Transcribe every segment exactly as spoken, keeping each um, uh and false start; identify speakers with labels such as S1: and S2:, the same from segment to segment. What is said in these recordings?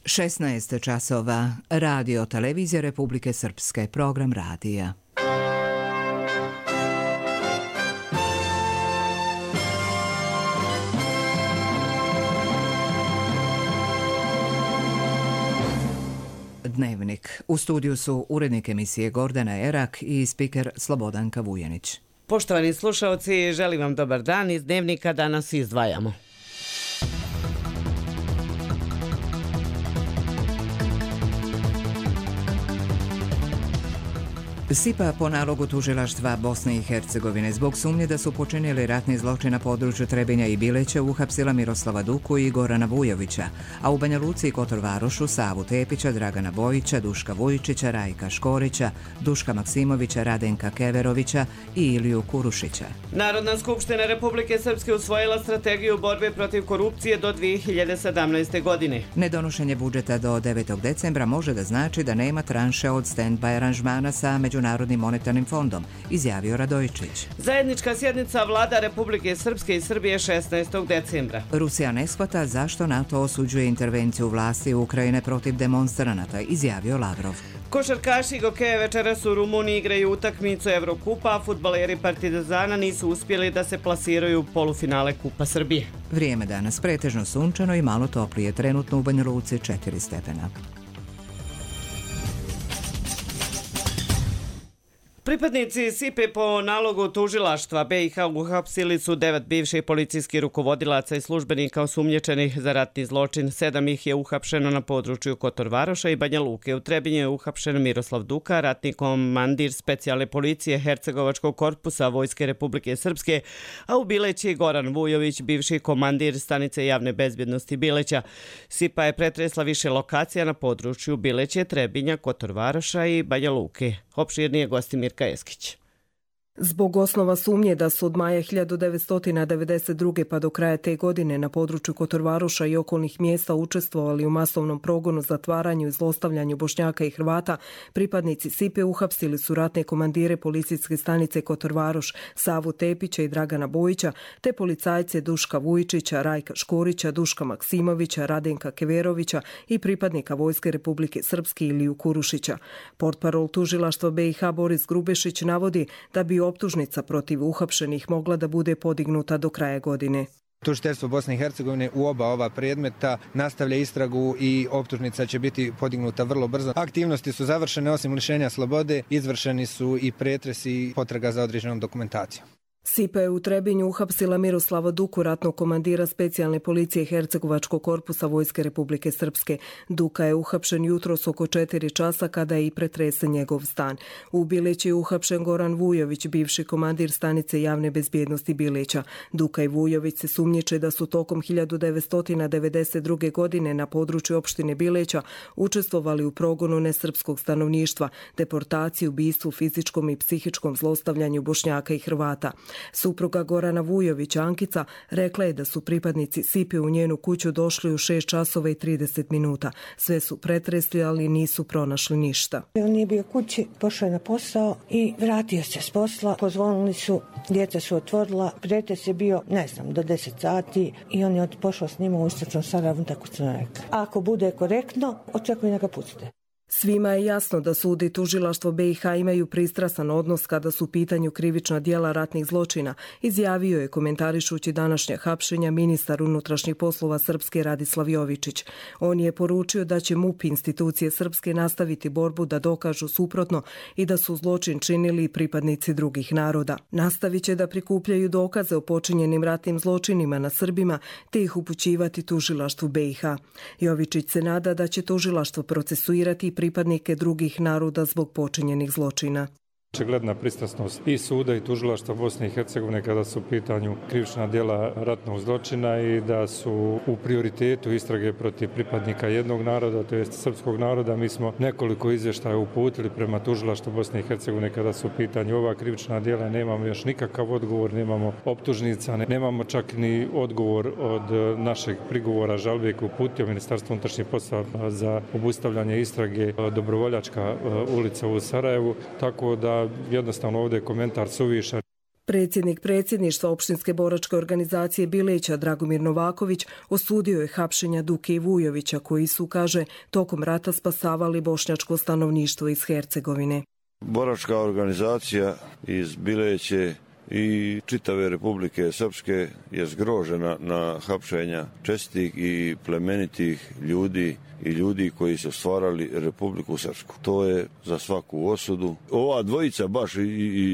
S1: šesnaest časova. Radio Televizija Republike Srpske. Program radija. Dnevnik. U studiju su urednik emisije Gordana Erak i spiker Slobodanka Vujanić.
S2: Poštovani slušalci, želim vam dobar dan. Iz Dnevnika danas izdvajamo.
S1: S I P A po nalogu tužilaštva Bosne i Hercegovine zbog sumnje da su počinili ratni zločin na području Trebinja i Bileća uhapsila Miroslava Duku i Gorana Vujovića, a u Banja Luci i Kotor Varošu Savu Tepića, Dragana Bojića, Duška Vujčića, Rajka Škorića, Duška Maksimovića, Radenka Keverovića i Iliju Kurušića.
S2: Narodna skupština Republike Srpske usvojila strategiju borbe protiv korupcije do dvije hiljade sedamnaeste. godine.
S1: Nedonošenje budžeta do devetog decembra može da znači da nema tranše od stand-by aranžmana sa Međunarodnim monetarnim fondom, izjavio Radojičić.
S2: Zajednička sjednica vlada Republike Srpske i Srbije šesnaestog decembra.
S1: Rusija ne shvata zašto NATO osuđuje intervenciju vlasti Ukrajine protiv demonstranata, izjavio Lavrov.
S2: Košarkaši Gokeje večeras u Rumuniji igraju utakmicu Evrokupa, a fudbaleri Partizana nisu uspjeli da se plasiraju u polufinale Kupa Srbije.
S1: Vrijeme danas pretežno sunčano i malo toplije, trenutno u Banja Luci četiri stepena.
S2: Pripadnici S I P A po nalogu tužilaštva B i H uhapsili su devet bivših policijskih rukovodilaca i službenika osumnjičenih za ratni zločin. Sedam ih je uhapšeno na području Kotor Varoša i Banja Luke. U Trebinju je uhapšen Miroslav Duka, ratni komandir specijalne policije Hercegovačkog korpusa Vojske Republike Srpske, a u Bileći Goran Vujović, bivši komandir stanice javne bezbjednosti Bileća. S I P A je pretresla više lokacija na području Bileće, Trebinja, Kotor Varoša i Banja Luke. Opširnije gosti Mirka Eskić.
S3: Zbog osnova sumnje da su od maja hiljadu devetsto devedeset druge pa do kraja te godine na području Kotor Varoša i okolnih mjesta učestvovali u masovnom progonu, zatvaranju i zlostavljanju Bošnjaka i Hrvata, pripadnici S I P A uhapsili su ratne komandire policijske stanice Kotor Varoš, Savu Tepića i Dragana Bojića, te policajce Duška Vujčića, Rajka Škorića, Duška Maksimovića, Radenka Keverovića i pripadnika Vojske Republike Srpske Iliju Kurušića. Portparol tužilaštva B i H Boris Grubešić navodi da bi optužnica protiv uhapšenih mogla da bude podignuta do kraja godine.
S4: Tužiteljstvo Bosne i Hercegovine u oba ova predmeta nastavlja istragu i optužnica će biti podignuta vrlo brzo. Aktivnosti su završene, osim lišenja slobode, izvršeni su i pretresi i potraga za određenom dokumentacijom.
S3: S I P A je u Trebinju uhapsila Miroslava Duku, ratnog komandira specijalne policije Hercegovačkog korpusa Vojske Republike Srpske. Duka je uhapšen jutros oko četiri časa kada je i pretresen njegov stan. U Bileći je uhapšen Goran Vujović, bivši komandir stanice javne bezbjednosti Bileća. Duka i Vujović se sumnjiče da su tokom hiljadu devetsto devedeset druge. godine na području opštine Bileća učestvovali u progonu nesrpskog stanovništva, deportaciji, ubistvu, fizičkom i psihičkom zlostavljanju Bošnjaka i Hrvata. Supruga Gorana Vujovića, Ankica, rekla je da su pripadnici S I P A u njenu kuću došli u šest časova i trideset minuta. Sve su pretresli, ali nisu pronašli ništa.
S5: On nije bio kući, pošao je na posao i vratio se s posla. Pozvonili su, djeca su otvorila, pretres je bio, ne znam, do deset sati i on je pošao s njima u istočnom Sarajevu, tako su nam rekli. Ako bude korektno, očekujem da ga pustite.
S3: Svima je jasno da sud i tužilaštvo B i H imaju pristrasan odnos kada su u pitanju krivična djela ratnih zločina, izjavio je komentarišući današnja hapšenja ministar unutrašnjih poslova Srpske Radislav Jovičić. On je poručio da će M U P institucije Srpske nastaviti borbu da dokažu suprotno i da su zločin činili pripadnici drugih naroda. Nastavit će da prikupljaju dokaze o počinjenim ratnim zločinima na Srbima te ih upućivati tužilaštvu B i H. Jovičić se nada da će tužilaštvo procesuirati i pripadnike drugih naroda zbog počinjenih zločina.
S6: Očigledna pristrasnost i suda i tužilaštva Bosne i Hercegovine kada su u pitanju krivična djela ratnog zločina i da su u prioritetu istrage protiv pripadnika jednog naroda, to jest srpskog naroda. Mi smo nekoliko izvještaja uputili prema tužilaštvu Bosne i Hercegovine kada su u pitanju ova krivična djela. Nemamo još nikakav odgovor, nemamo optužnica, nemamo čak ni odgovor od našeg prigovora žalbe koji uputio Ministarstvo unutrašnjih poslova za obustavljanje istrage Dobrovoljačka ulica u Sarajevu, tako da jednostavno ovdje je komentar suvišan.
S3: Predsjednik predsjedništva opštinske boračke organizacije Bileća Dragomir Novaković osudio je hapšenja Duke i Vujovića koji su, kaže, tokom rata spasavali bošnjačko stanovništvo iz Hercegovine.
S7: Boračka organizacija iz Bileće i čitave Republike Srpske je zgrožena na hapšenja čestitih i plemenitih ljudi i ljudi koji su stvarali Republiku Srpsku. To je za svaku osudu. Ova dvojica baš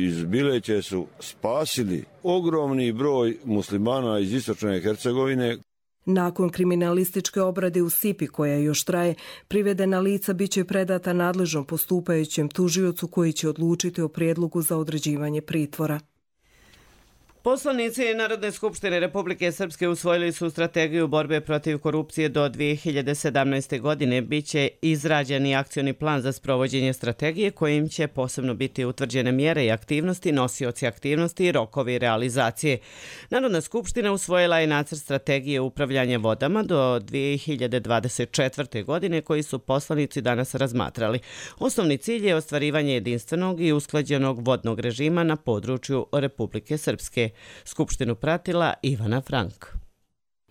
S7: iz Bileće su spasili ogromni broj muslimana iz istočne Hercegovine.
S3: Nakon kriminalističke obrade u Sipi, koja još traje, privedena lica biće predata nadležnom postupajućem tužiocu koji će odlučiti o prijedlogu za određivanje pritvora.
S2: Poslanici Narodne skupštine Republike Srpske usvojili su strategiju borbe protiv korupcije do dvije hiljade sedamnaeste. godine. Biće izrađen i akcioni plan za sprovođenje strategije kojim će posebno biti utvrđene mjere i aktivnosti, nosioci aktivnosti i rokovi realizacije. Narodna skupština usvojila je nacrt strategije upravljanja vodama do dvije hiljade dvadeset četvrte. godine koji su poslanici danas razmatrali. Osnovni cilj je ostvarivanje jedinstvenog i usklađenog vodnog režima na području Republike Srpske. Skupštinu pratila Ivana Frank.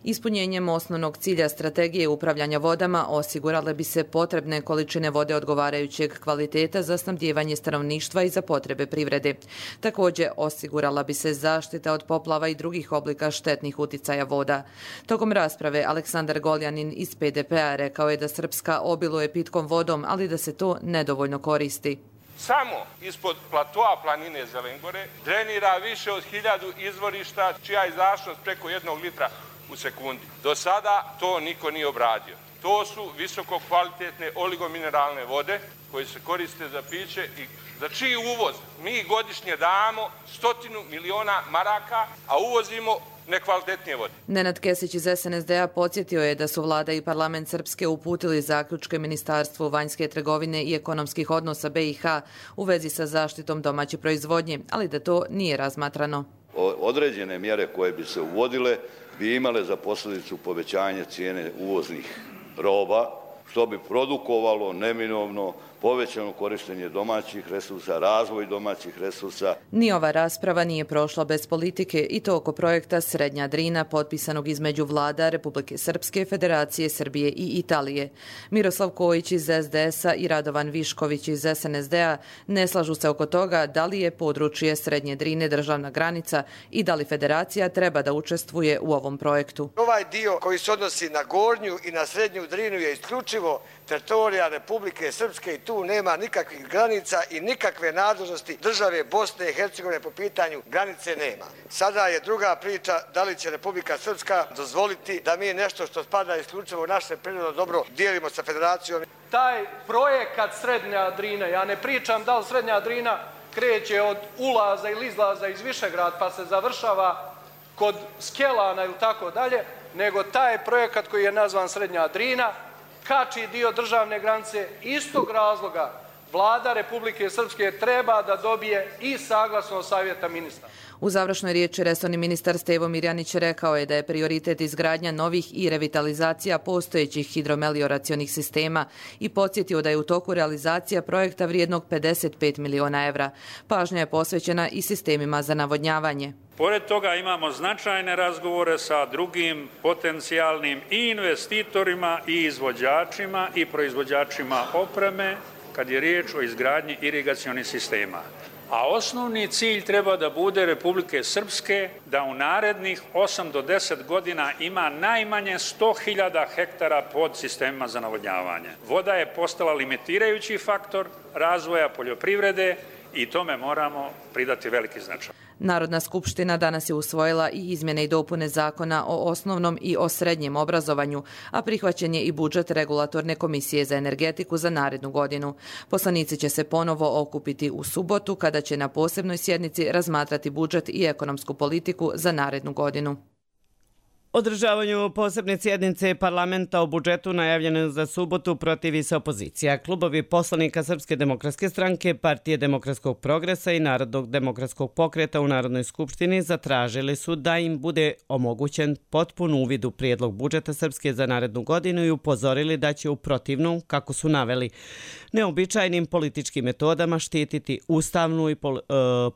S8: Ispunjenjem osnovnog cilja strategije upravljanja vodama osigurale bi se potrebne količine vode odgovarajućeg kvaliteta za snabdijevanje stanovništva i za potrebe privrede. Također osigurala bi se zaštita od poplava i drugih oblika štetnih uticaja voda. Tokom rasprave Aleksandar Goljanin iz P D P-a rekao je da Srpska obiluje pitkom vodom, ali da se to nedovoljno koristi.
S9: Samo ispod platoa planine Zelengore drenira više od hiljadu izvorišta čija je izašlost preko jednog litra u sekundi. Do sada to niko nije obradio. To su visoko kvalitetne oligomineralne vode koje se koriste za piće i za čiji uvoz mi godišnje damo stotinu miliona maraka, a uvozimo nekvalitetnije vode.
S8: Nenad Kesić iz S N S D-a podsjetio je da su vlada i parlament Srpske uputili zaključke Ministarstvu vanjske trgovine i ekonomskih odnosa B i H u vezi sa zaštitom domaće proizvodnje, ali da to nije razmatrano.
S10: Određene mjere koje bi se uvodile bi imale za posljedicu povećanje cijene uvoznih roba, što bi produkovalo neminovno povećano korištenje domaćih resursa, razvoj domaćih resursa.
S8: Ni ova rasprava nije prošla bez politike i to oko projekta Srednja Drina potpisanog između vlada Republike Srpske, Federacije Srbije i Italije. Miroslav Kojić iz S D S-a i Radovan Višković iz S N S D-a ne slažu se oko toga da li je područje Srednje Drine državna granica i da li Federacija treba da učestvuje u ovom projektu.
S11: Ovaj dio koji se odnosi na Gornju i na Srednju Drinu je isključivo teritorija Republike Srpske i tu nema nikakvih granica i nikakve nadležnosti države Bosne i Hercegovine po pitanju granice nema. Sada je druga priča da li će Republika Srpska dozvoliti da mi nešto što spada isključivo u naše prirodno dobro dijelimo sa Federacijom.
S12: Taj projekat Srednja Drina, ja ne pričam da li Srednja Drina kreće od ulaza ili izlaza iz Višegrad pa se završava kod Skelana ili tako dalje, nego taj projekat koji je nazvan Srednja Drina kači dio državne granice. Istog razloga vlada Republike Srpske treba da dobije i saglasnost savjeta ministra.
S8: U završnoj riječi resorni ministar Stevo Mirjanić rekao je da je prioritet izgradnja novih i revitalizacija postojećih hidromelioracionih sistema i podsjetio da je u toku realizacija projekta vrijednog pedeset pet miliona evra. Pažnja je posvećena i sistemima za navodnjavanje.
S13: Pored toga imamo značajne razgovore sa drugim potencijalnim i investitorima i izvođačima i proizvođačima opreme kad je riječ o izgradnji irigacionih sistema. A osnovni cilj treba da bude Republike Srpske da u narednih osam do deset godina ima najmanje sto hiljada hektara pod sistemima za navodnjavanje. Voda je postala limitirajući faktor razvoja poljoprivrede i tome moramo pridati veliki značaj.
S8: Narodna skupština danas je usvojila i izmjene i dopune zakona o osnovnom i o srednjem obrazovanju, a prihvaćen je i budžet Regulatorne komisije za energetiku za narednu godinu. Poslanici će se ponovo okupiti u subotu kada će na posebnoj sjednici razmatrati budžet i ekonomsku politiku za narednu godinu.
S2: Održavanju posebne sjednice parlamenta o budžetu najavljene za subotu protivi se opozicija. Klubovi poslanika Srpske demokratske stranke, Partije demokratskog progresa i Narodnog demokratskog pokreta u Narodnoj skupštini zatražili su da im bude omogućen potpun uvid u prijedlog budžeta Srpske za narednu godinu i upozorili da će u protivnom, kako su naveli, neobičajnim političkim metodama štititi ustavnu i pol, e,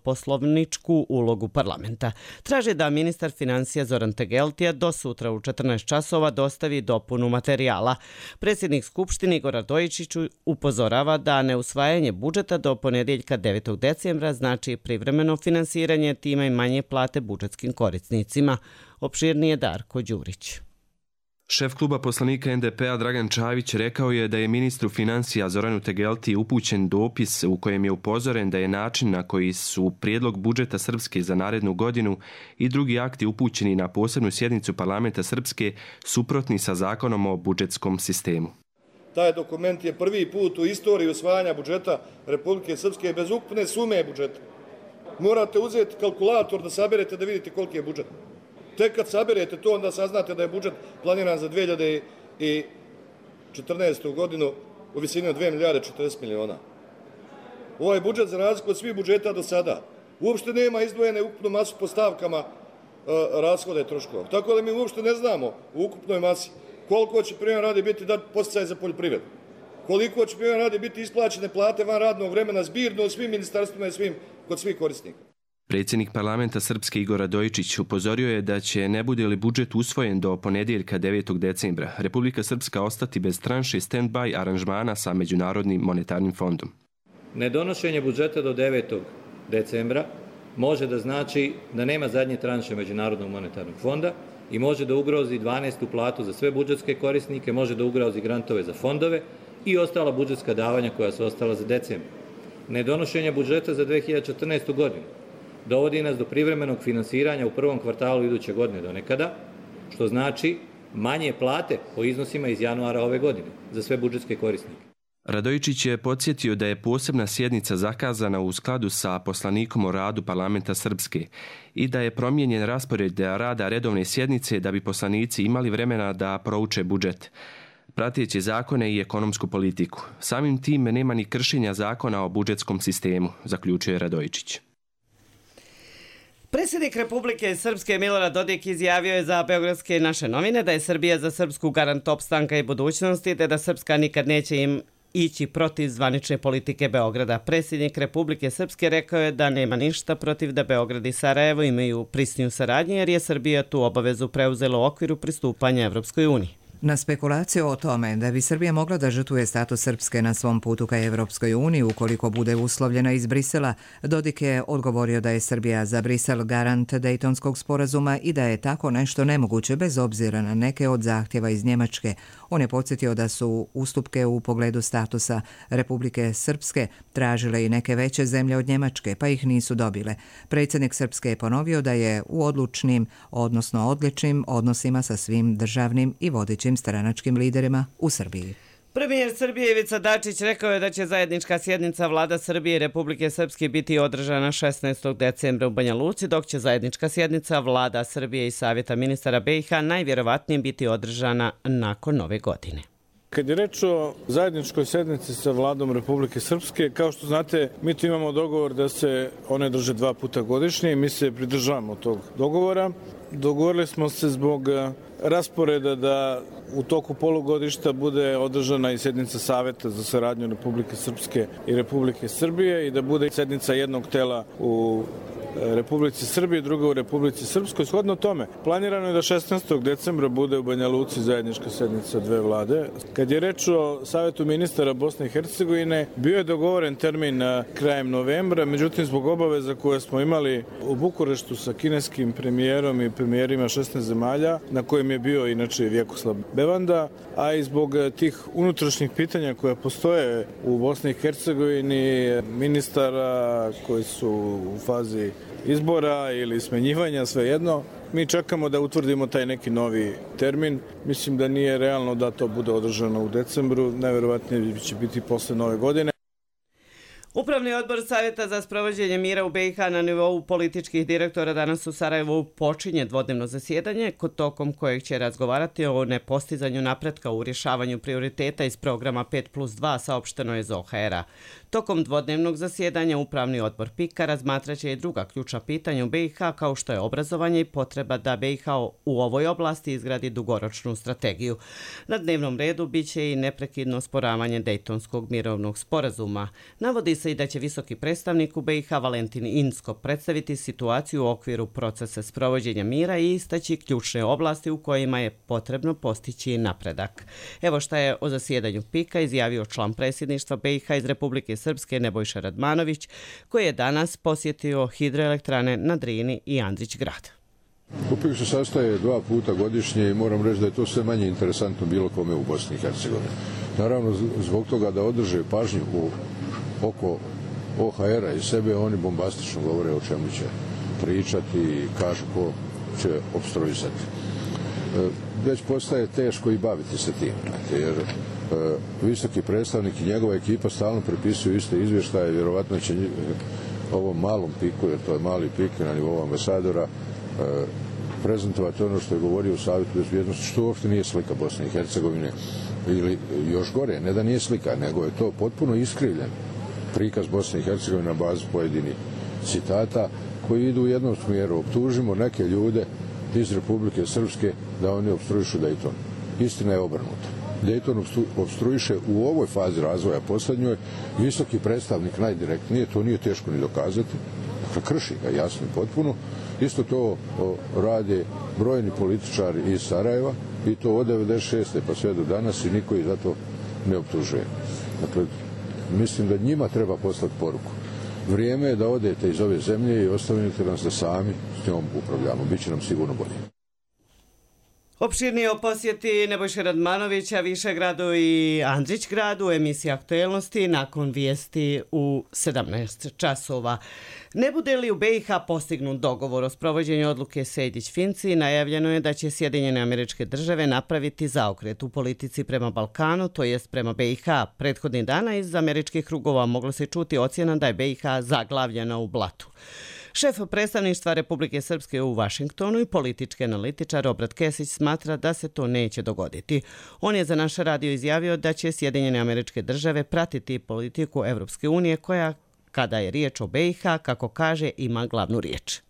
S2: poslovničku ulogu parlamenta. Traže da ministar financija Zoran Tegeltija do sutra u četrnaest časova dostavi dopunu materijala. Predsjednik Skupštine Igor Radojičić upozorava da neusvajanje budžeta do ponedjeljka devetog decembra znači privremeno finansiranje, time i manje plate budžetskim korisnicima. Opširnije Darko Đurić.
S14: Šef kluba poslanika en de pe a Dragan Čavić rekao je da je ministru financija Zoranu Tegeltiji upućen dopis u kojem je upozoren da je način na koji su prijedlog budžeta Srpske za narednu godinu i drugi akti upućeni na posebnu sjednicu parlamenta Srpske suprotni sa zakonom o budžetskom sistemu.
S15: Taj dokument je prvi put u istoriji usvajanja budžeta Republike Srpske bez ukupne sume budžeta. Morate uzeti kalkulator da saberete da vidite koliki je budžet. Tek kad saberete to, onda saznate da je budžet planiran za dve hiljade četrnaestu godinu u visini od dve milijarde četrdeset miliona. Ovaj budžet, za razliku od svih budžeta do sada, uopšte nema izdvojene ukupnu masu po stavkama e, rashoda i troškova. Tako da mi uopšte ne znamo u ukupnoj masi koliko će primjer radi biti dat podsticaj za poljoprivredu, koliko će primjer radi biti isplaćene plate van radnog vremena zbirno u svim ministarstvima i svim, kod svih korisnika.
S14: Predsjednik parlamenta Srpske Igor Radojičić upozorio je da će, ne bude li budžet usvojen do ponedjeljka devetog decembra, Republika Srpska ostati bez tranše stand-by aranžmana sa Međunarodnim monetarnim fondom.
S16: Nedonošenje budžeta do devetog decembra može da znači da nema zadnje tranše Međunarodnog monetarnog fonda i može da ugrozi dvanaestu platu za sve budžetske korisnike, može da ugrozi grantove za fondove i ostala budžetska davanja koja su ostala za decembra. Nedonošenje budžeta za dve hiljade četrnaestu godinu dovodi nas do privremenog finansiranja u prvom kvartalu iduće godine do nekada, što znači manje plate po iznosima iz januara ove godine za sve budžetske korisnike.
S14: Radojičić je podsjetio da je posebna sjednica zakazana u skladu sa poslanikom o radu parlamenta Srpske i da je promijenjen raspored rada redovne sjednice da bi poslanici imali vremena da prouče budžet, prateći zakone i ekonomsku politiku. Samim tim nema ni kršenja zakona o budžetskom sistemu, zaključuje Radojičić.
S2: Predsjednik Republike Srpske Milorad Dodik izjavio je za Beogradske naše novine da je Srbija za Srpsku garant opstanka i budućnosti, te da Srpska nikad neće im ići protiv zvanične politike Beograda. Predsjednik Republike Srpske rekao je da nema ništa protiv da Beograd i Sarajevo imaju prisniju saradnju, jer je Srbija tu obavezu preuzela u okviru pristupanja Evropskoj uniji.
S1: Na spekulaciju o tome da bi Srbija mogla da žrtvuje status Srpske na svom putu ka Evropskoj uniji ukoliko bude uslovljena iz Brisela, Dodik je odgovorio da je Srbija za Brisel garant Dejtonskog sporazuma i da je tako nešto nemoguće bez obzira na neke od zahtjeva iz Njemačke. On je podsjetio da su ustupke u pogledu statusa Republike Srpske tražile i neke veće zemlje od Njemačke, pa ih nisu dobile. Predsjednik Srpske je ponovio da je u odlučnim, odnosno odličnim odnosima sa svim državnim i vodećim stranačkim liderima u Srbiji.
S2: Premijer Srbije Ivica Dačić rekao je da će zajednička sjednica vlada Srbije i Republike Srpske biti održana šesnaestog decembra u Banja Luci, dok će zajednička sjednica vlada Srbije i Savjeta ministara be i ha najvjerovatnije biti održana nakon nove godine.
S17: Kad je reč o zajedničkoj sjednici sa vladom Republike Srpske, kao što znate, mi tu imamo dogovor da se one drže dva puta godišnje i mi se pridržavamo tog dogovora. Dogovorili smo se zbog rasporeda da u toku polugodišta bude održana i sjednica Saveta za saradnju Republike Srpske i Republike Srbije i da bude sjednica jednog tela u Republici Srbije, druga u Republici Srpskoj. Shodno tome, planirano je da šesnaestog decembra bude u Banja Luci zajednička sjednica dve vlade. Kad je reč o Savetu ministara Bosne i Hercegovine, bio je dogovoren termin krajem novembra, međutim zbog obaveza koje smo imali u Bukureštu sa kineskim premijerom i premijerima šesnaest zemalja, na kojem je bio inače Vjekoslav Bevanda, a i zbog tih unutrašnjih pitanja koja postoje u Bosni i Hercegovini, ministara koji su u fazi izbora ili smenjivanja, svejedno, mi čekamo da utvrdimo taj neki novi termin. Mislim da nije realno da to bude održano u decembru, najverovatnije će biti posle nove godine.
S2: Upravni odbor Savjeta za sprovođenje mira u B i H na nivou političkih direktora danas u Sarajevu počinje dvodnevno zasjedanje, tokom kojeg će razgovarati o nepostizanju napretka u rješavanju prioriteta iz programa pet plus dva, saopšteno je iz O H R-a. Tokom dvodnevnog zasjedanja Upravni odbor PIK-a razmatraće i druga ključna pitanja u B i H, kao što je obrazovanje i potreba da B i H u ovoj oblasti izgradi dugoročnu strategiju. Na dnevnom redu biće i neprekidno osporavanje Dejtonskog mirovnog sporazuma. Navodi se i da će visoki predstavnik u B i H Valentin Inzko predstaviti situaciju u okviru procesa sprovođenja mira i istaći ključne oblasti u kojima je potrebno postići napredak. Evo šta je o zasjedanju PIK-a izjavio član predsjedništva B i H iz Republike Srpske Nebojša Radmanović, koji je danas posjetio hidroelektrane na Drini i Andrić grad.
S18: PIK se sastaje dva puta godišnje i moram reći da je to sve manje interesantno bilo kome u Bosni i Hercegovini. Naravno, zbog toga da održe pažnju u oko O H R-a i sebe, oni bombastično govore o čemu će pričati i kažu ko će opstruisati. Već postaje teško i baviti se tim, jer visoki predstavnik i njegova ekipa stalno prepisuju iste izvještaje, vjerovatno će ovom malom piku, jer to je mali pik na nivou ambasadora, prezentovati ono što je govorio u Savjetu bezbjednosti, što uopšte nije slika Bosne i Hercegovine, ili još gore, ne da nije slika, nego je to potpuno iskrivljen prikaz Bosne i Hercegovine na bazi pojedinih citata koji idu u jednom smjeru. Optužimo neke ljude iz Republike Srpske da oni opstruišu Dejton. Istina je obrnuta. Dejton opstruiše u ovoj fazi razvoja posljednjoj visoki predstavnik najdirektnije, to nije teško ni dokazati, dakle krši ga jasno i potpuno. Isto to rade brojni političari iz Sarajeva i to od devedeset šeste pa sve do danas i niko ih za to ne optužuje. Dakle, mislim da njima treba poslati poruku. Vrijeme je da odete iz ove zemlje i ostavite nas da sami s njom upravljamo. Biće nam sigurno bolje.
S2: Opširnije o posjeti Nebojše Radmanovića Višegradu i Andrićgradu, emisija Aktuelnosti nakon vijesti u sedamnaest časova. Ne bude li u B i H postignut dogovor o sprovođenju odluke Sejdić-Finci, najavljeno je da će Sjedinjene Američke Države napraviti zaokret u politici prema Balkanu, to jest prema B i H. Prethodnih dana iz američkih krugova moglo se čuti ocjena da je B i H zaglavljena u blatu. Šef predstavništva Republike Srpske u Vašingtonu i politički analitičar Obrat Kesić smatra da se to neće dogoditi. On je za naš radio izjavio da će Sjedinjene Američke Države pratiti politiku Evropske unije koja, kada je riječ o B i H, kako kaže, ima glavnu riječ.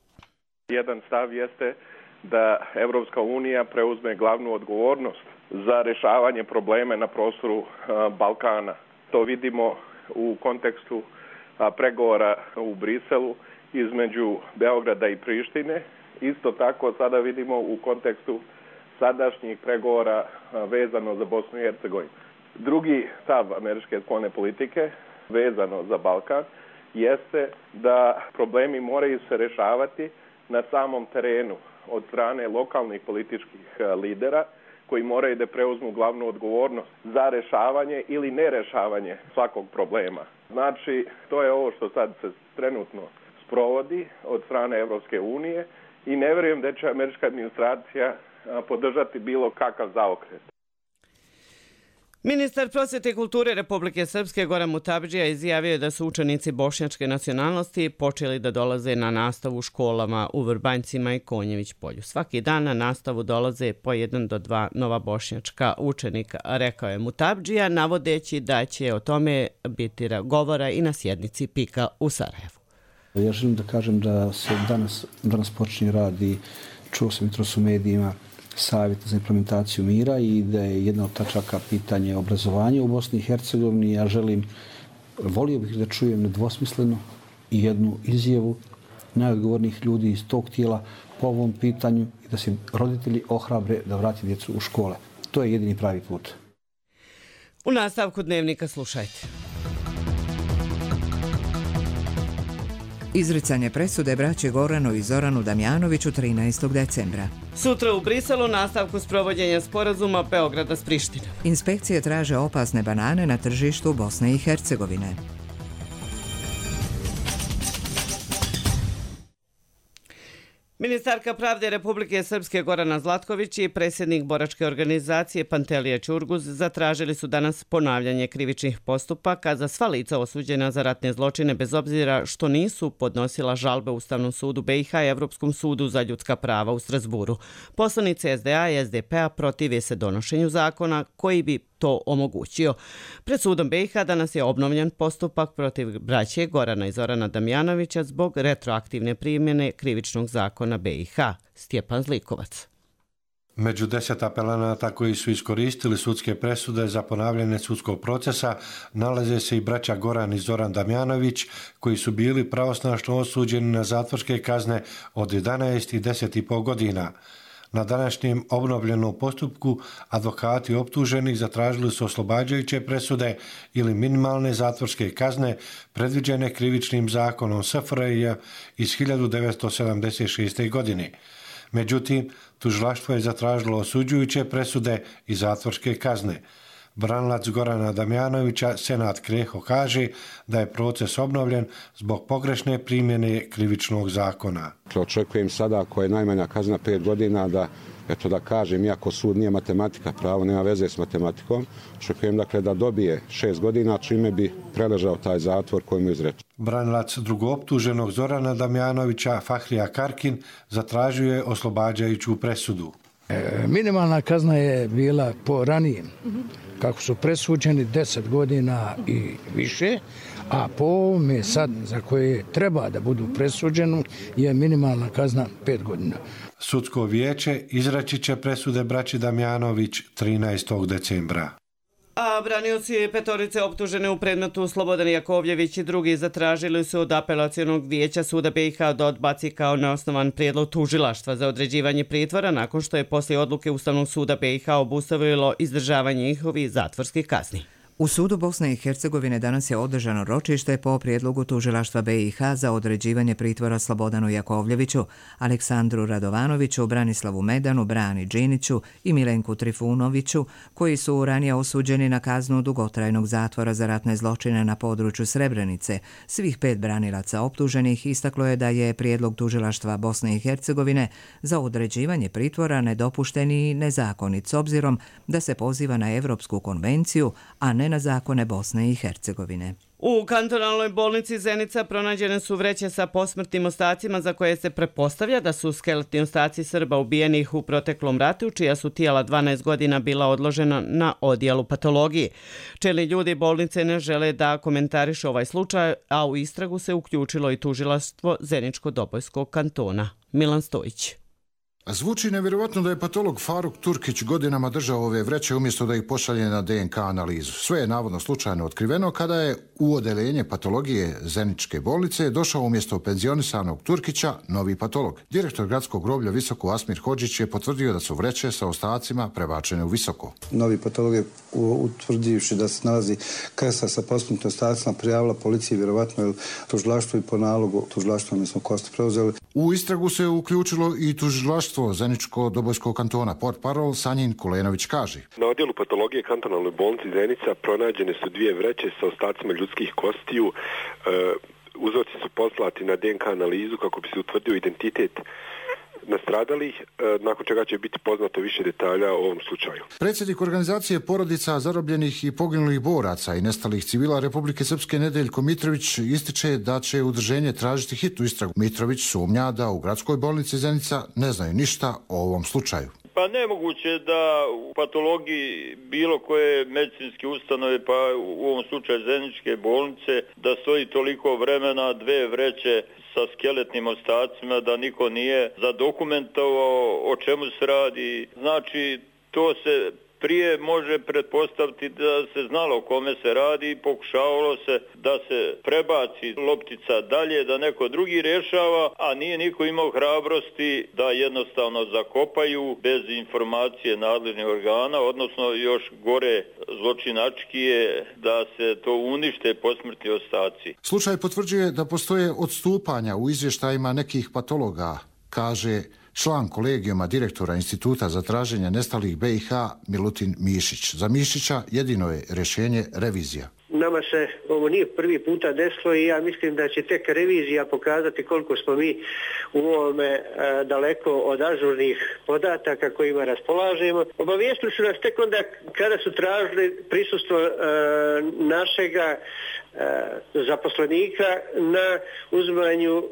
S19: Jedan stav jeste da Evropska unija preuzme glavnu odgovornost za rješavanje probleme na prostoru Balkana. To vidimo u kontekstu pregovora u Briselu između Beograda i Prištine. Isto tako sada vidimo u kontekstu sadašnjih pregovora vezano za Bosnu i Hercegovinu. Drugi stav američke spoljne politike vezano za Balkan jeste da problemi moraju se rješavati na samom terenu od strane lokalnih političkih lidera koji moraju da preuzmu glavnu odgovornost za rješavanje ili nerješavanje svakog problema. Znači, to je ovo što sad se trenutno sprovodi od strane Evropske unije i ne vjerujem da će američka administracija podržati bilo kakav zaokret.
S2: Ministar prosvjete i kulture Republike Srpske Goran Mutabdžija izjavio je da su učenici bošnjačke nacionalnosti počeli da dolaze na nastavu u školama u Vrbanjcima i Konjević polju. Svaki dan na nastavu dolaze po jedan do dva nova bošnjačka učenika, rekao je Mutabdžija, navodeći da će o tome biti govora i na sjednici PIK-a u Sarajevu.
S20: Ja želim da kažem da se danas, danas počinje rad i čuo sam jutros u medijima Savjet za implementaciju mira i da je jedna od tačaka pitanje obrazovanja u Bosni i Hercegovini. Ja želim, volio bih da čujem nedvosmisleno i jednu izjavu najodgovornijih ljudi iz tog tijela po ovom pitanju i da se roditelji ohrabre da vrati djecu u škole. To je jedini pravi put.
S2: U nastavku dnevnika slušajte.
S1: Izricanje presude braće Goranu i Zoranu Damjanoviću trinaestog decembra.
S2: Sutra u Briselu nastavku sprovođenja sporazuma Beograda s Prištinom.
S1: Inspekcije traže opasne banane na tržištu Bosne i Hercegovine.
S2: Ministarka pravde Republike Srpske Gorana Zlatković i predsjednik boračke organizacije Pantelija Ćurguz zatražili su danas ponavljanje krivičnih postupaka za sva lica osuđena za ratne zločine bez obzira što nisu podnosila žalbe Ustavnom sudu B i H i Evropskom sudu za ljudska prava u Strasburu. Poslanici S D A i S D P-a protive se donošenju zakona koji bi to omogućio. Pred sudom B i H danas je obnovljen postupak protiv braće Gorana i Zorana Damjanovića zbog retroaktivne primjene krivičnog zakona B i H. Stjepan Zlikovac.
S21: Među deset apelanata koji su iskoristili sudske presude za ponavljanje sudskog procesa nalaze se i braća Goran i Zoran Damjanović, koji su bili pravosnažno osuđeni na zatvorske kazne od jedanaest i deset i pol godina. Na današnjem obnovljenom postupku advokati optuženih zatražili su oslobađajuće presude ili minimalne zatvorske kazne predviđene krivičnim zakonom S F R J iz hiljadu devetsto sedamdeset šeste. godine. Međutim, tužilaštvo je zatražilo osuđujuće presude i zatvorske kazne. Branilac Gorana Damjanovića, Senat Kreho, kaže da je proces obnovljen zbog pogrešne primjene krivičnog zakona.
S22: Očekujem sada, ako je najmanja kazna pet godina, da, eto da kažem, iako sud nije matematika, pravo nema veze s matematikom, očekujem dakle da dobije šest godina, čime bi preležao taj zatvor koji mu izreče.
S21: Branilac drugooptuženog Zorana Damjanovića, Fahrija Karkin, zatražio je oslobađajuću presudu.
S23: E, minimalna kazna je bila po ranijem, kako su presuđeni deset godina i više, a po ovome sad za koje treba da budu presuđeni je minimalna kazna pet godina.
S21: Sudsko vijeće izreći će presude braći Damjanović trinaestog decembra.
S2: A branioci petorice optužene u predmetu Slobodan Jakovljević i drugi zatražili su od apelacionog vijeća suda B i H da odbaci kao neosnovan prijedlog tužilaštva za određivanje pritvora nakon što je poslije odluke Ustavnog suda B i H obustavilo izdržavanje njihovih zatvorskih kazni.
S1: U sudu Bosne i Hercegovine danas je održano ročište po prijedlogu tužilaštva B i H za određivanje pritvora Slobodanu Jakovljeviću, Aleksandru Radovanoviću, Branislavu Medanu, Brani Điniću i Milenku Trifunoviću, koji su ranije osuđeni na kaznu dugotrajnog zatvora za ratne zločine na području Srebrenice. Svih pet branilaca optuženih istaklo je da je prijedlog tužilaštva Bosne i Hercegovine za određivanje pritvora nedopušten i nezakonit s obzirom da se poziva na Evropsku konvenciju, a ne na zakone Bosne i Hercegovine.
S2: U kantonalnoj bolnici Zenica pronađene su vreće sa posmrtnim ostacima za koje se pretpostavlja da su skeletni ostaci Srba ubijenih u proteklom ratu, čija su tijela dvanaest godina bila odložena na odjelu patologije. Čelni ljudi bolnice ne žele da komentarišu ovaj slučaj, a u istragu se uključilo i tužilaštvo Zeničko-Dobojskog kantona. Milan Stojić.
S24: Zvuči nevjerovatno da je patolog Faruk Turkić godinama držao ove vreće umjesto da ih pošalje na D N K analizu. Sve je navodno slučajno otkriveno kada je u odeljenje patologije Zeničke bolnice došao umjesto penzionisanog Turkića novi patolog. Direktor gradskog groblja Visoko Asmir Hodžić je potvrdio da su vreće sa ostacima prebačene u Visoko.
S25: Novi patolog je utvrdivši da se nalazi krsta sa posmrtnim ostacima prijavila policiji, vjerovatno je tužilaštvo i po nalogu tužilaštva mi smo kosti preuzeli.
S24: U istragu se uključilo i tužilaštvo Zeničko-Dobojskog kantona. Portparol Sanjin Kulenović kaže:
S26: Na odjelu patologije kantonalnoj bolnici Zenica pronađene su dvije vreće sa ostacima ljudskih kostiju. E, uzorci su poslati na D N K analizu kako bi se utvrdio identitet nastradalih, nakon čega će biti poznato više detalja o ovom slučaju.
S24: Predsjednik organizacije porodica zarobljenih i poginulih boraca i nestalih civila Republike Srpske Nedeljko Mitrović ističe da će udruženje tražiti hitnu istragu. Mitrović sumnja da u gradskoj bolnici Zenica ne znaju ništa o ovom slučaju.
S27: Pa nemoguće da u patologiji bilo koje medicinske ustanove, pa u ovom slučaju Zeničke bolnice, da stoji toliko vremena, dve vreće sa skeletnim ostacima, da niko nije zadokumentovao o čemu se radi. Znači, to se prije može pretpostaviti da se znalo o kome se radi i pokušavalo se da se prebaci loptica dalje, da neko drugi rješava, a nije niko imao hrabrosti da jednostavno zakopaju bez informacije nadležnih organa, odnosno još gore zločinački je da se to unište posmrtni ostaci.
S24: Slučaj potvrđuje da postoje odstupanja u izvještajima nekih patologa, kaže član kolegijuma direktora Instituta za traženje nestalih B i H Milutin Mišić. Za Mišića jedino je rješenje revizija.
S28: Ne
S3: Nama se ovo nije prvi puta desilo i ja mislim da će tek revizija pokazati koliko smo mi u ovome daleko od ažurnih podataka kojima raspolažemo. Obavijestili su nas tek onda kada su tražili prisustvo našega zaposlenika na uzimanju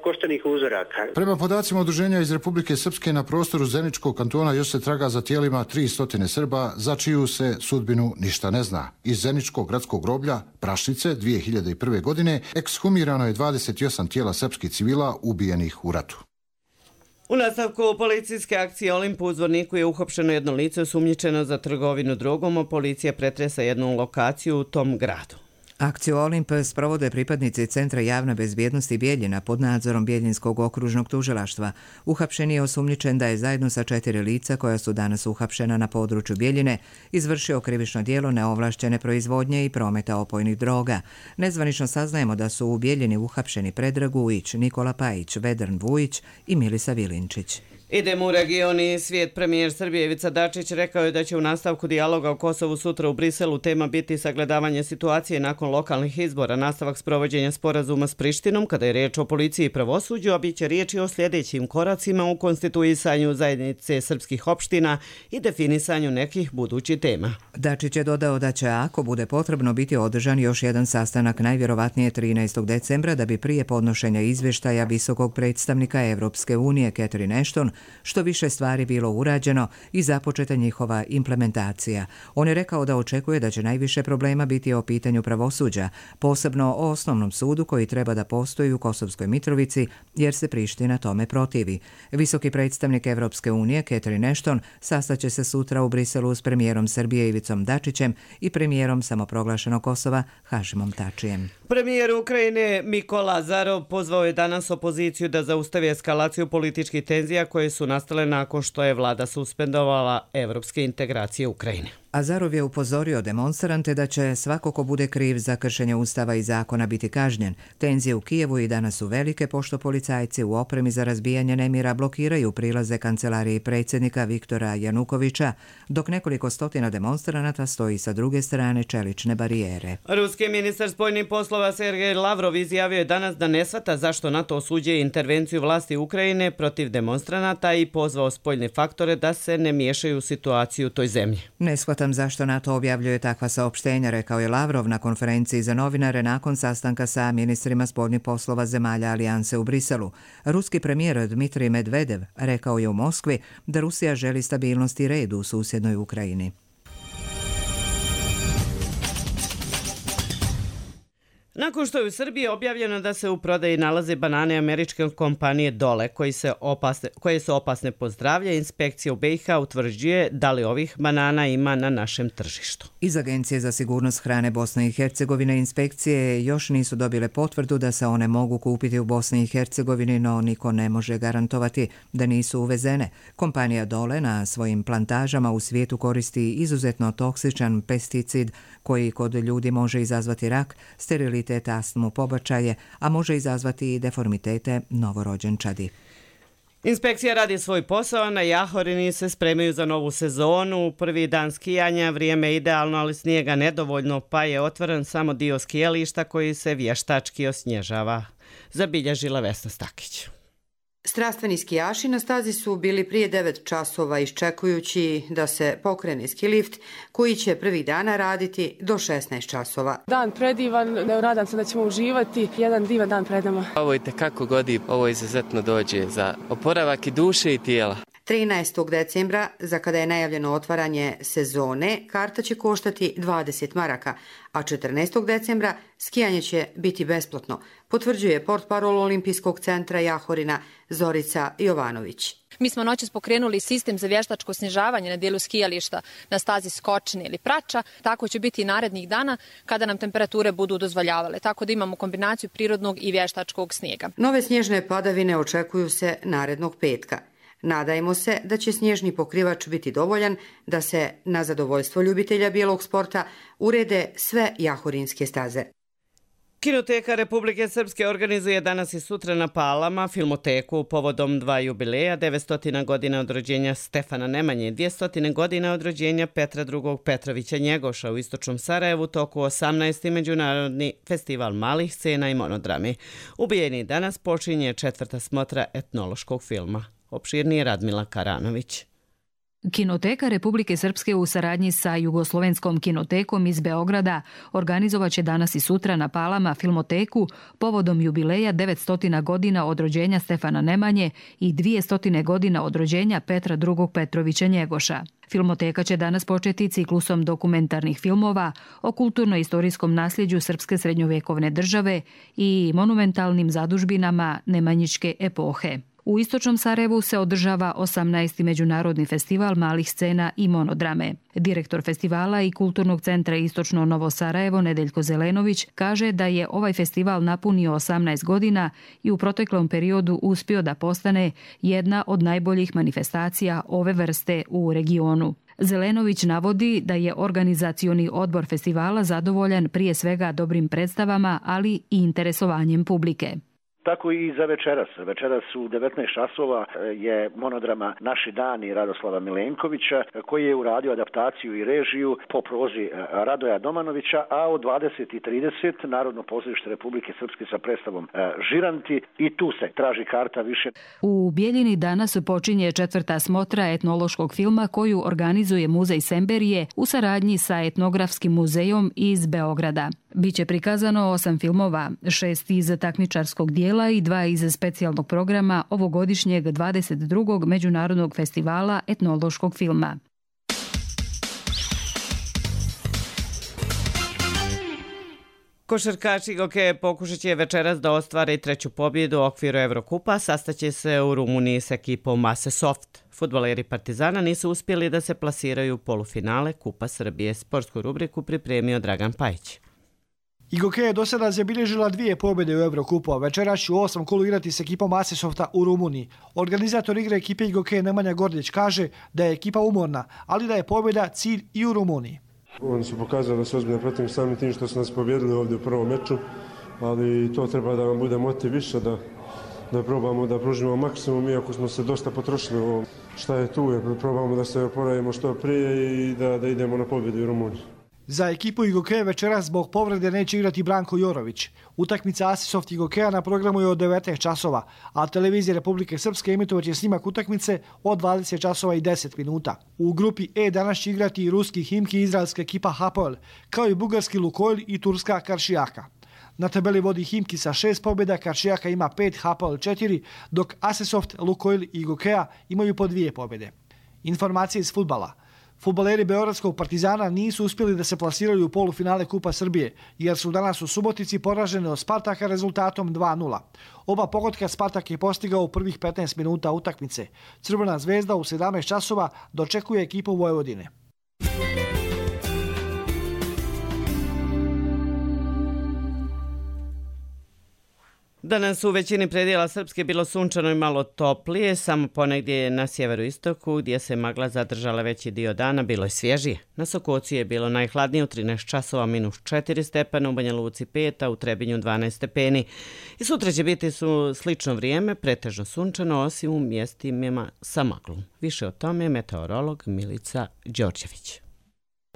S3: koštanih uzoraka.
S24: Prema podacima udruženja iz Republike Srpske, na prostoru Zeničkog kantona još se traga za tijelima tristo Srba za čiju se sudbinu ništa ne zna. Iz Zeničkog gradskog groblja Prašnice dvije hiljade prve. godine ekshumirano je dvadeset osam tijela srpskih civila ubijenih u ratu.
S2: U nastavku policijske akcije Olimp u Zvorniku je uhapšeno jedno lice osumnjičeno za trgovinu drogom, a policija pretresa jednu lokaciju u tom gradu.
S1: Akciju Olimp sprovode pripadnici Centra javne bezbjednosti Bijeljina pod nadzorom Bijeljinskog okružnog tužilaštva. Uhapšen je osumnjičen da je zajedno sa četiri lica koja su danas uhapšena na području Bijeljine izvršio krivično djelo neovlašćene proizvodnje i prometa opojnih droga. Nezvanično saznajemo da su u Bijeljini uhapšeni Predrag Ujić, Nikola Pajić, Vedran Vujić i Milisa Vilinčić.
S2: Idemo u region i svijet. Premijer Srbije Ivica Dačić rekao je da će u nastavku dijaloga o Kosovu sutra u Briselu tema biti sagledavanje situacije nakon lokalnih izbora, nastavak sprovođenja sporazuma s Prištinom kada je riječ o policiji i pravosuđu, a bit će riječi o sljedećim koracima u konstituisanju zajednice srpskih opština i definisanju nekih budućih tema.
S1: Dačić je dodao da će, ako bude potrebno, biti održan još jedan sastanak najvjerovatnije trinaestog decembra da bi prije podnošenja izvještaja visokog predstavnika Evropske unije Catherine Ashton što više stvari bilo urađeno i započeta njihova implementacija. On je rekao da očekuje da će najviše problema biti o pitanju pravosuđa, posebno o osnovnom sudu koji treba da postoji u Kosovskoj Mitrovici jer se Priština tome protivi. Visoki predstavnik Evropske unije Catherine Ashton sastaće se sutra u Briselu s premijerom Srbije Ivicom Dačićem i premijerom samoproglašenog Kosova Hašimom Tačijem.
S2: Premijer Ukrajine Mikola Azarov pozvao je danas opoziciju da zaustavi eskalaciju političkih tenzija koje su nastale nakon što je vlada suspendovala evropske integracije Ukrajine.
S1: Azarov je upozorio demonstrante da će svako ko bude kriv za kršenje ustava i zakona biti kažnjen. Tenzije u Kijevu i danas su velike pošto policajci u opremi za razbijanje nemira blokiraju prilaze kancelariji predsjednika Viktora Janukovića, dok nekoliko stotina demonstranata stoji sa druge strane čelične barijere.
S2: Ruski ministar spoljnih poslova Sergej Lavrov izjavio je danas da ne shvata zašto NATO osuđuje intervenciju vlasti Ukrajine protiv demonstranata i pozvao spoljne faktore da se ne miješaju u situaciju u toj zemlji.
S1: Ne shvatam zašto NATO objavljuje takva saopštenja, rekao je Lavrov na konferenciji za novinare nakon sastanka sa ministrima spoljnih poslova zemalja Alijanse u Briselu. Ruski premijer Dmitrij Medvedev rekao je u Moskvi da Rusija želi stabilnost i red u susjednoj Ukrajini.
S2: Nakon što je u Srbiji objavljeno da se u prodaji nalaze banane američke kompanije Dole, koji se opasne, koje su opasne po zdravlje, inspekcija u B i H utvrđuje da li ovih banana ima na našem tržištu.
S1: Iz Agencije za sigurnost hrane Bosne i Hercegovine inspekcije još nisu dobile potvrdu da se one mogu kupiti u Bosni i Hercegovini, no niko ne može garantovati da nisu uvezene. Kompanija Dole na svojim plantažama u svijetu koristi izuzetno toksičan pesticid koji kod ljudi može izazvati rak, sterilitet, astmu, pobačaje, a može izazvati i deformitete novorođenčadi.
S2: Inspekcija radi svoj posao, na Jahorini se spremaju za novu sezonu. Prvi dan skijanja, vrijeme je idealno, ali snijega nedovoljno, pa je otvoren samo dio skijališta koji se vještački osnježava. Zabilježila Vesna Stakić.
S4: Strastveni skijaši na stazi su bili prije devet časova iščekujući da se pokrene ski lift koji će prvih dana raditi do šesnaest časova.
S5: Dan predivan, nadam se da ćemo uživati, jedan divan dan pred nama.
S6: Ovo je tekako godi, ovo izuzetno dođe za oporavak i duše i tijela.
S4: trinaestog decembra, za kada je najavljeno otvaranje sezone, karta će koštati dvadeset maraka, a četrnaestog decembra skijanje će biti besplatno, potvrđuje portparol Olimpijskog centra Jahorina Zorica Jovanović.
S7: Mi smo noćas pokrenuli sistem za vještačko snježavanje na dijelu skijališta na stazi Skočine ili Prača. Tako će biti i narednih dana kada nam temperature budu dozvoljavale. Tako da imamo kombinaciju prirodnog i vještačkog snijega.
S4: Nove snježne padavine očekuju se narednog petka. Nadajmo se da će snježni pokrivač biti dovoljan da se, na zadovoljstvo ljubitelja bijelog sporta, urede sve jahorinske staze.
S2: Kinoteka Republike Srpske organizuje danas i sutra na Palama filmoteku povodom dva jubileja, devetsto godina od rođenja Stefana Nemanje i dvjesto godina od rođenja Petra drugog Petrovića Njegoša u istočnom Sarajevu toku osamnaesti Međunarodni festival malih scena i monodrami. Ubijeni danas počinje četvrta smotra etnološkog filma. Opširnije Radmila Karanović.
S8: Kinoteka Republike Srpske u saradnji sa Jugoslovenskom kinotekom iz Beograda organizovaće danas i sutra na Palama filmoteku povodom jubileja devetsto godina od rođenja Stefana Nemanje i dvjesto godina od rođenja Petra drugog Petrovića Njegoša. Filmoteka će danas početi ciklusom dokumentarnih filmova o kulturno-istorijskom nasljeđu srpske srednjovekovne države i monumentalnim zadužbinama nemanjičke epohe. U istočnom Sarajevu se održava osamnaesti Međunarodni festival malih scena i monodrame. Direktor festivala i Kulturnog centra Istočno Novo Sarajevo Nedeljko Zelenović kaže da je ovaj festival napunio osamnaest godina i u proteklom periodu uspio da postane jedna od najboljih manifestacija ove vrste u regionu. Zelenović navodi da je organizacioni odbor festivala zadovoljan prije svega dobrim predstavama, ali i interesovanjem publike.
S9: Tako i za večeras. Večeras u devetnaest časova je monodrama Naši dani Radoslava Milenkovića, koji je uradio adaptaciju i režiju po prozi Radoja Domanovića, a u dvadeset i trideset Narodno pozorište Republike Srpske sa predstavom Žiranti i tu se traži karta više.
S8: U Bijeljini danas počinje četvrta smotra etnološkog filma koju organizuje Muzej Semberije u saradnji sa Etnografskim muzejom iz Beograda. Biće prikazano osam filmova, šest iz takmičarskog dijela i dva iz specijalnog programa ovogodišnjeg dvadeset drugog Međunarodnog festivala etnološkog filma.
S2: Košarkaši Gokeje pokušat će večeras da ostvare treću pobjedu u okviru Evrokupa, sastaće se u Rumuniji s ekipom Mase Soft. Fudbaleri Partizana nisu uspjeli da se plasiraju u polufinale Kupa Srbije. Sportsku rubriku pripremio Dragan Pajić.
S10: Igoke je do sada zabilježila dvije pobjede u Evrokupu, a večeras će u osmom kolu igrati s ekipom Asesofta u Rumuniji. Organizator igre ekipe Igoke Nemanja Gordić kaže da je ekipa umorna, ali da je pobjeda cilj i u Rumuniji.
S11: Oni su pokazali da su ozbiljno protiv samim tim što su nas pobjedili ovdje u prvom meču, ali to treba da vam bude motiv više, da, da probamo da pružimo maksimum, iako smo se dosta potrošili u šta je tu, jer probamo da se oporavimo što prije i da, da idemo na pobjedu u Rumuniji.
S10: Za ekipu Igokeja večeras zbog povrede neće igrati Branko Jorović. Utakmica Asisoft Igokeja na programu je od devetnaest časova, a televizija Republike Srpske emitovaće snimak utakmice od dvadeset časova i deset minuta. U grupi E danas će igrati i ruski Himki i izraelska ekipa Hapoel, kao i bugarski Lukoil i turska Karšijaka. Na tabeli vodi Himki sa šest pobjeda, Karšijaka ima pet, Hapoel četiri, dok Asisoft, Lukoil i Igokeja imaju po dvije pobjede. Informacije iz fudbala. Fudbaleri Beogradskog Partizana nisu uspjeli da se plasiraju u polufinale Kupa Srbije, jer su danas u Subotici poraženi od Spartaka rezultatom dva nula. Oba pogotka Spartak je postigao u prvih petnaest minuta utakmice. Crvena zvezda u sedamnaest časova dočekuje ekipu Vojvodine.
S2: Danas u većini predjela Srpske bilo sunčano i malo toplije, samo ponegdje na sjeveroistoku gdje se magla zadržala veći dio dana bilo je svježije. Na Sokoci je bilo najhladnije u trinaest časova minus četiri stepena, u Banja Luci pet, a u Trebinju dvanaest stepeni. I sutra će biti su slično vrijeme, pretežno sunčano, osim u mjestima sa maglom. Više o tome je meteorolog Milica Đorđević.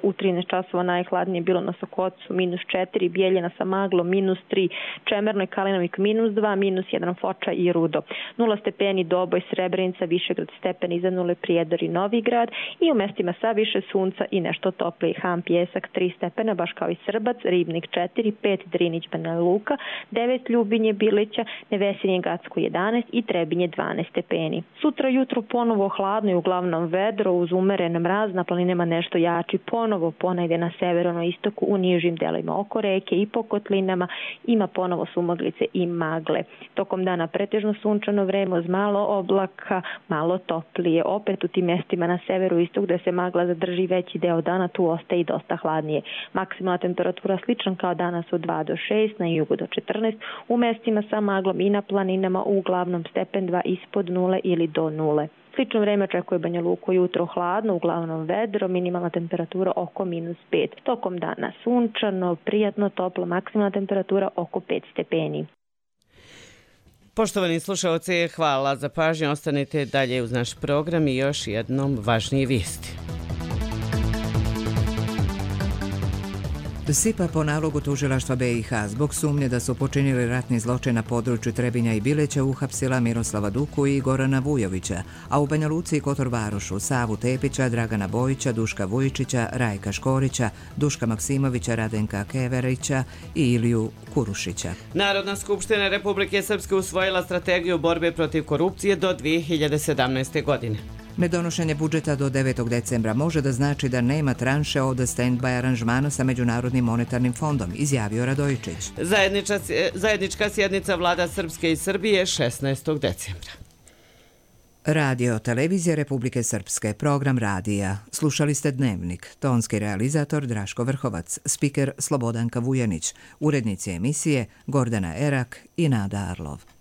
S12: U trinaest časova najhladnije bilo na Sokocu minus četiri, Bijeljina sa maglom minus tri, Čemerno i Kalinovik minus dva, minus jedan Foča i Rudo. nula stepeni Doboj, Srebrenica, Višegrad stepen iza nule, Prijedor i Novigrad i u mestima sa više sunca i nešto toplije. Ham, Pjesak tri stepena, baš kao i Srbac, Ribnik četiri, pet Drinić, Banja Luka, devet Ljubinje, Bilića, Nevesinje, Gacko jedanaest i Trebinje dvanaest stepeni. Sutra jutro ponovo hladno i uglavnom vedro uz umeren mraz, na planinama nešto jači ponovo. Ponovo ponegdje na severno-istoku u nižim delovima oko reke i po kotlinama ima ponovo sumaglice i magle. Tokom dana pretežno sunčano vreme uz malo oblaka, malo toplije. Opet u tim mjestima na severu-istok gdje se magla zadrži veći deo dana, tu ostaje i dosta hladnije. Maksimalna temperatura slična kao danas od dva do šest, na jugu do četrnaest, u mjestima sa maglom i na planinama uglavnom stepen dva ispod nule ili do nule. Slično vreme očekuje Banja Luku jutro hladno, uglavnom vedro, minimalna temperatura oko minus pet. Tokom dana sunčano, prijatno, toplo, maksimalna temperatura oko pet stepeni.
S2: Poštovani slušalci, hvala za pažnju. Ostanite dalje uz naš program i još jednom važnije vijesti.
S1: S I P A po nalogu tužilaštva B i H zbog sumnje da su počinili ratni zločin na području Trebinja i Bileća uhapsila Miroslava Duku i Gorana Vujovića, a u Banja Luci i Kotor Varošu Savu Tepića, Dragana Bojića, Duška Vujičića, Rajka Škorića, Duška Maksimovića, Radenka Keverića i Iliju Kurušića.
S2: Narodna skupština Republike Srpske usvojila strategiju borbe protiv korupcije do dvije hiljade sedamnaeste. godine.
S1: Nedonošenje budžeta do devetog decembra može da znači da nema tranše od stand-by aranžmana sa Međunarodnim monetarnim fondom, izjavio Radojičić.
S2: Zajednička, zajednička sjednica vlada Srpske i Srbije šesnaestog decembra.
S1: Radio Televizija Republike Srpske, program radija. Slušali ste Dnevnik, tonski realizator Draško Vrhovac, spiker Slobodanka Vujanić, urednici emisije Gordana Erak i Nada Arlov.